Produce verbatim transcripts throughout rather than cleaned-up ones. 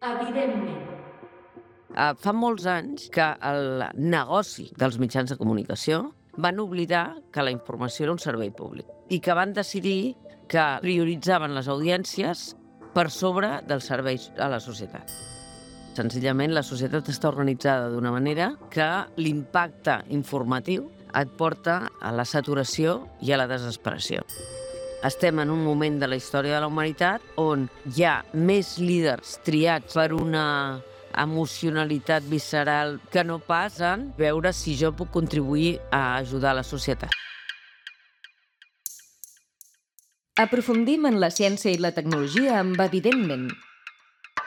Evidentment. Uh, fa molts anys que el negoci dels mitjans de comunicació van oblidar que la informació era un servei públic i que van decidir que prioritzaven les audiències per sobre dels serveis a la societat. Senzillament, la societat està organitzada d'una manera que l'impacte informatiu et porta a la saturació i a la desesperació. Estem en un moment de la història de la humanitat on hi ha més líders triats per una emocionalitat visceral que no pas en veure si jo puc contribuir a ajudar la societat. Aprofundim en la ciència i la tecnologia amb Evidentment,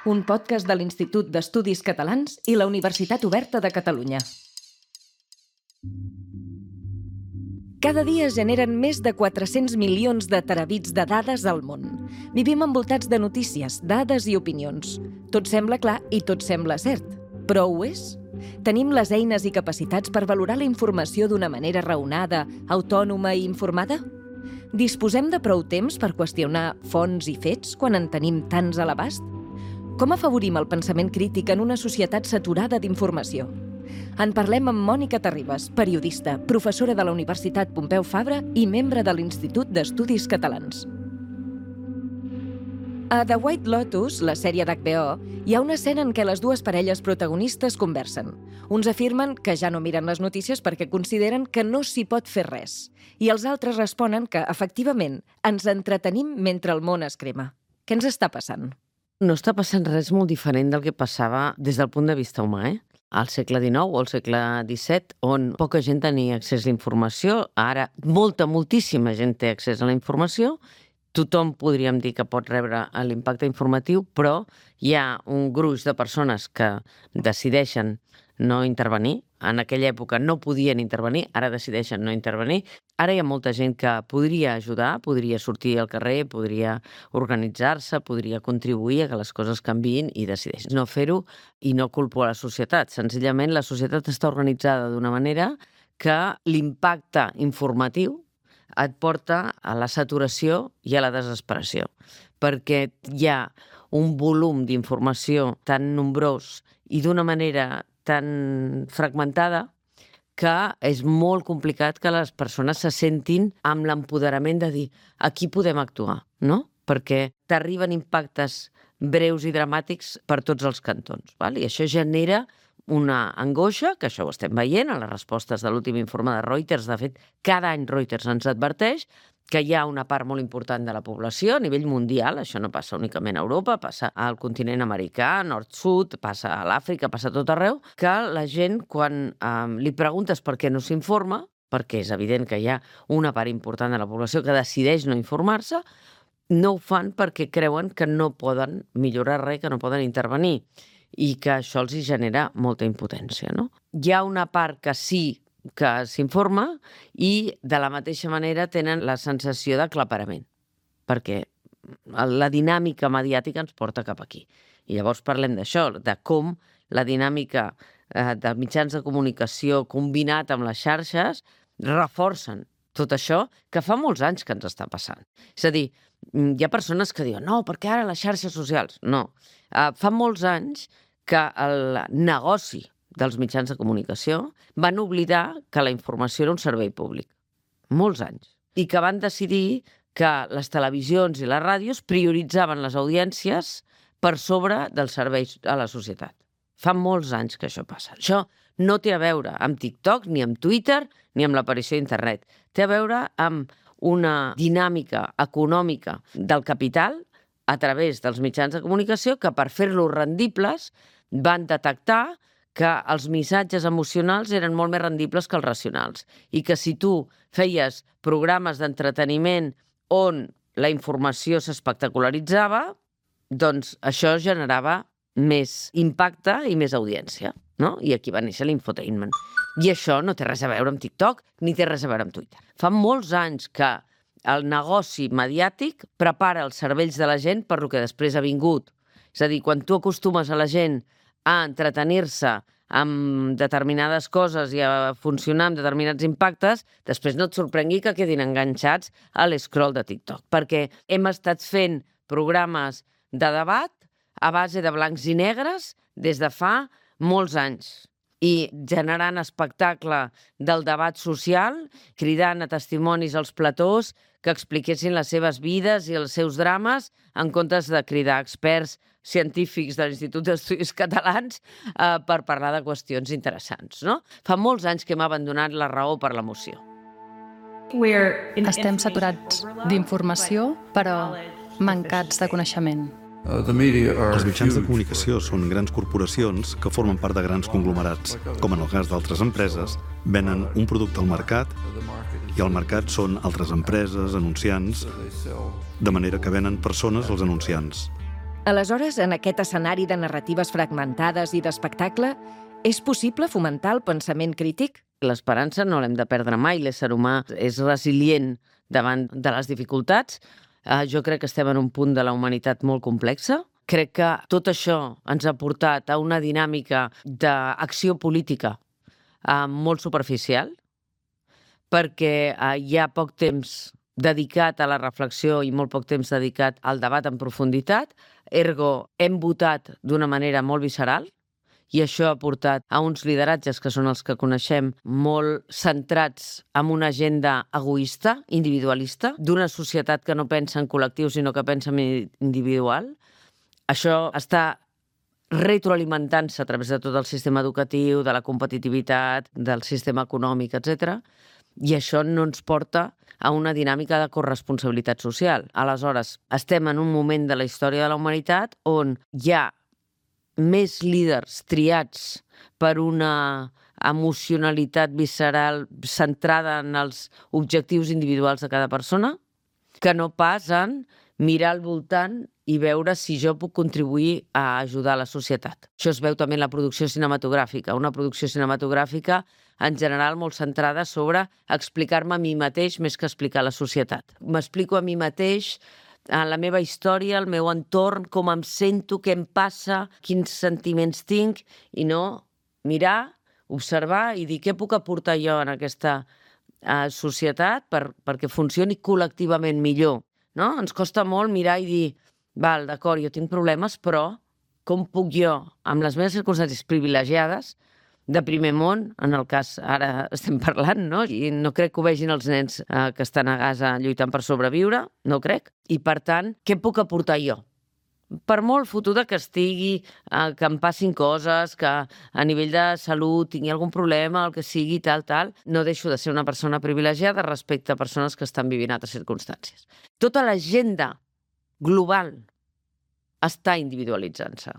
un podcast de l'Institut d'Estudis Catalans i la Universitat Oberta de Catalunya. Cada dia es generen més de quatre-cents milions de terabits de dades al món. Vivim envoltats de notícies, dades i opinions. Tot sembla clar i tot sembla cert. Però ho és? Tenim les eines i capacitats per valorar la informació d'una manera raonada, autònoma i informada? Disposem de prou temps per qüestionar fonts i fets quan en tenim tants a l'abast? Com afavorim el pensament crític en una societat saturada d'informació? En parlem amb Mònica Terribas, periodista, professora de la Universitat Pompeu Fabra i membre de l'Institut d'Estudis Catalans. A The White Lotus, la sèrie d'H B O, hi ha una escena en què les dues parelles protagonistes conversen. Uns afirmen que ja no miren les notícies perquè consideren que no s'hi pot fer res, i els altres responen que, efectivament, ens entretenim mentre el món es crema. Què ens està passant? No està passant res molt diferent del que passava des del punt de vista humà, eh? Al segle dinou o al segle disset, on poca gent tenia accés a la informació, ara molta, moltíssima gent té accés a la informació, tothom podríem dir que pot rebre l'impacte informatiu, però hi ha un gruix de persones que decideixen no intervenir. En aquella època no podien intervenir, ara decideixen no intervenir. Ara hi ha molta gent que podria ajudar, podria sortir al carrer, podria organitzar-se, podria contribuir a que les coses canviïn i decideix no fer-ho i no culpo a la societat. Senzillament, la societat està organitzada d'una manera que l'impacte informatiu et porta a la saturació i a la desesperació, perquè hi ha un volum d'informació tan nombrós i d'una manera tan fragmentada que és molt complicat que les persones se sentin amb l'empoderament de dir aquí podem actuar, no? Perquè t'arriben impactes breus i dramàtics per tots els cantons, val? I això genera una angoixa, que això ho estem veient a les respostes de l'últim informe de Reuters. De fet, cada any Reuters ens adverteix que hi ha una part molt important de la població a nivell mundial, això no passa únicament a Europa, passa al continent americà, nord-sud, passa a l'Àfrica, passa a tot arreu, que la gent, quan eh, li preguntes per què no s'informa, perquè és evident que hi ha una part important de la població que decideix no informar-se, no ho fan perquè creuen que no poden millorar res, que no poden intervenir, i que això els hi genera molta impotència, no? Hi ha una part que sí que s'informa i de la mateixa manera tenen la sensació d'aclaparament, perquè la dinàmica mediàtica ens porta cap aquí. I llavors parlem d'això, de com la dinàmica eh, de mitjans de comunicació combinat amb les xarxes reforcen tot això que fa molts anys que ens està passant. És a dir, hi ha persones que diuen no, perquè ara les xarxes socials... No, uh, fa molts anys que el negoci dels mitjans de comunicació van oblidar que la informació era un servei públic. Molts anys. I que van decidir que les televisions i les ràdios prioritzaven les audiències per sobre dels serveis a la societat. Fa molts anys que això passa. Això no té a veure amb TikTok, ni amb Twitter, ni amb l'aparició d'internet. Té a veure amb una dinàmica econòmica del capital a través dels mitjans de comunicació que per fer-los rendibles van detectar que els missatges emocionals eren molt més rendibles que els racionals i que si tu feies programes d'entreteniment on la informació s'espectacularitzava, doncs això generava més impacte i més audiència, no? I aquí va néixer l'infotainment. I això no té res a veure amb TikTok ni té res a veure amb Twitter. Fa molts anys que el negoci mediàtic prepara els cervells de la gent per lo que després ha vingut. És a dir, quan tu acostumes a la gent a entretenir-se amb determinades coses i a funcionar amb determinats impactes, després no et sorprengui que quedin enganxats a l'escroll de TikTok, perquè hem estat fent programes de debat a base de blancs i negres des de fa molts anys i generant espectacle del debat social, cridant a testimonis als platós que expliquessin les seves vides i els seus drames en comptes de cridar experts científics de l'Institut d'Estudis Catalans eh, per parlar de qüestions interessants, no? Fa molts anys que hem abandonat la raó per l'emoció. Estem saturats d'informació, però mancats de coneixement. Els mitjans de comunicació són grans corporacions que formen part de grans conglomerats. Com en el cas d'altres empreses, venen un producte al mercat i al mercat són altres empreses, anunciants, de manera que venen persones als anunciants. Aleshores, en aquest escenari de narratives fragmentades i d'espectacle, és possible fomentar el pensament crític? L'esperança no l'hem de perdre mai, l'ésser humà és resilient davant de les dificultats. Uh, jo crec que estem en un punt de la humanitat molt complexa. Crec que tot això ens ha portat a una dinàmica d'acció política uh, molt superficial, perquè uh, hi ha poc temps dedicat a la reflexió i molt poc temps dedicat al debat en profunditat. Ergo, hem votat d'una manera molt visceral, i això ha portat a uns lideratges que són els que coneixem molt centrats en una agenda egoista, individualista, d'una societat que no pensa en col·lectiu sinó que pensa en individual. Això està retroalimentant-se a través de tot el sistema educatiu, de la competitivitat, del sistema econòmic, etcètera. I això no ens porta a una dinàmica de corresponsabilitat social. Aleshores, estem en un moment de la història de la humanitat on hi ha més líders triats per una emocionalitat visceral centrada en els objectius individuals de cada persona, que no pas en mirar al voltant i veure si jo puc contribuir a ajudar la societat. Això es veu també en la producció cinematogràfica, una producció cinematogràfica en general molt centrada sobre explicar-me a mi mateix més que explicar la societat. M'explico a mi mateix en la meva història, el meu entorn, com em sento, què em passa, quins sentiments tinc, i no mirar, observar i dir què puc aportar jo en aquesta uh, societat per, perquè funcioni col·lectivament millor. No? Ens costa molt mirar i dir, val, d'acord, jo tinc problemes, però com puc jo, amb les meves circumstàncies privilegiades, de primer món, en el cas ara estem parlant, no? I no crec que ho vegin els nens eh, que estan a Gaza lluitant per sobreviure, no crec. I, per tant, què puc aportar jo? Per molt fotuda que estigui, eh, que em passin coses, que a nivell de salut tingui algun problema, el que sigui, tal, tal, no deixo de ser una persona privilegiada respecte a persones que estan vivint altres circumstàncies. Tota l'agenda global està individualitzant-se,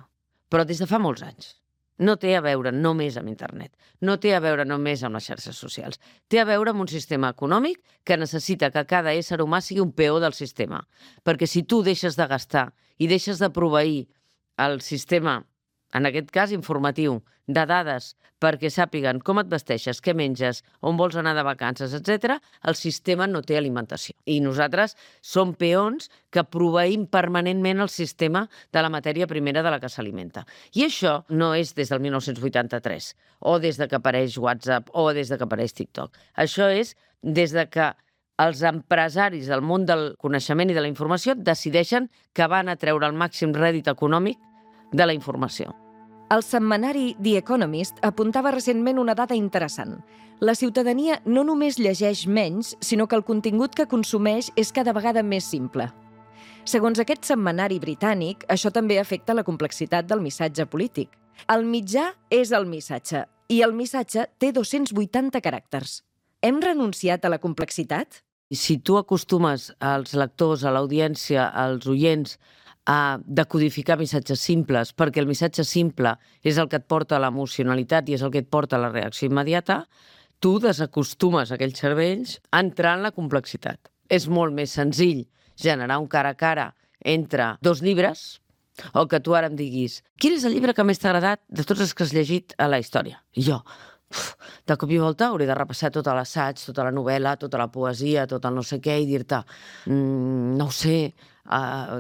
però des de fa molts anys. No té a veure només amb internet, no té a veure només amb les xarxes socials. Té a veure amb un sistema econòmic que necessita que cada ésser humà sigui un peó del sistema. Perquè si tu deixes de gastar i deixes de proveir el sistema, en aquest cas informatiu, de dades perquè sàpiguen com et vesteixes, què menges, on vols anar de vacances, etcètera, el sistema no té alimentació. I nosaltres som peons que proveïm permanentment el sistema de la matèria primera de la que s'alimenta. I això no és des del mil nou-cents vuitanta-tres, o des de que apareix WhatsApp, o des de que apareix TikTok. Això és des de que els empresaris del món del coneixement i de la informació decideixen que van a treure el màxim rèdit econòmic de la informació. El setmanari The Economist apuntava recentment una dada interessant. La ciutadania no només llegeix menys, sinó que el contingut que consumeix és cada vegada més simple. Segons aquest setmanari britànic, això també afecta la complexitat del missatge polític. El mitjà és el missatge, i el missatge té dos-cents vuitanta caràcters. Hem renunciat a la complexitat? Si tu acostumes als lectors, a l'audiència, als oients, a decodificar missatges simples, perquè el missatge simple és el que et porta a l'emocionalitat i és el que et porta a la reacció immediata, tu desacostumes aquells cervells a entrar en la complexitat. És molt més senzill generar un cara a cara entre dos llibres o que tu ara em diguis quin és el llibre que més t'ha agradat de tots els que has llegit a la història? I jo, uf, de cop i volta hauré de repassar tot l'assaig, tota la novel·la, tota la poesia, tot el no sé què i dir-te, mm, no ho sé, uh,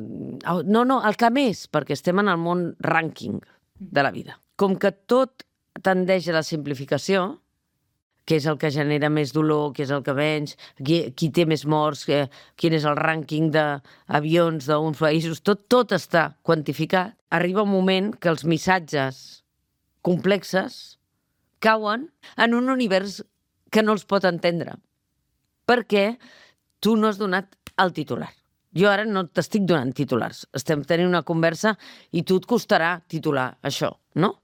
no, no, el que més, perquè estem en el món rànquing de la vida. Com que tot tendeix a la simplificació, què és el que genera més dolor, què és el que menys, qui, qui té més morts, eh, quin és el rànquing d'avions d'uns països, tot, tot està quantificat. Arriba un moment que els missatges complexes cauen en un univers que no els pot entendre, perquè tu no has donat el titular. Jo ara no t'estic donant titulars. Estem tenint una conversa i tu et costarà titular això, no?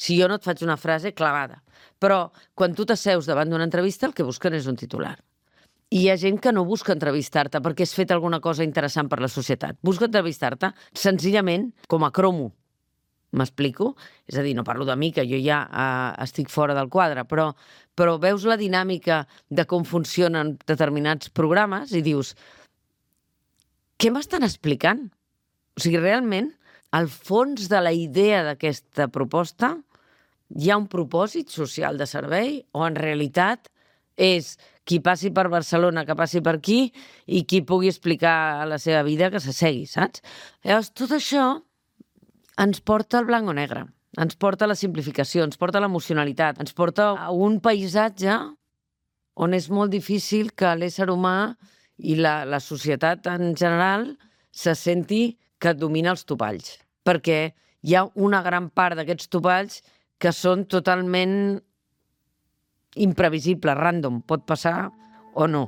Si jo no et faig una frase clavada. Però quan tu t'asseus davant d'una entrevista, el que busquen és un titular. I hi ha gent que no busca entrevistar-te perquè has fet alguna cosa interessant per la societat. Busca entrevistar-te senzillament com a cromo. M'explico? És a dir, no parlo de mi, que jo ja eh, estic fora del quadre, però, però veus la dinàmica de com funcionen determinats programes i dius, què m'estan explicant? O sigui, realment, al fons de la idea d'aquesta proposta hi ha un propòsit social de servei o en realitat és qui passi per Barcelona, que passi per aquí i qui pugui explicar la seva vida que s'assegui, saps? Llavors, tot això ens porta al blanc o negre, ens porta a la simplificació, ens porta a l'emocionalitat, ens porta a un paisatge on és molt difícil que l'ésser humà i la, la societat en general se senti que domina els topalls, perquè hi ha una gran part d'aquests topalls que són totalment imprevisibles, random, pot passar o no.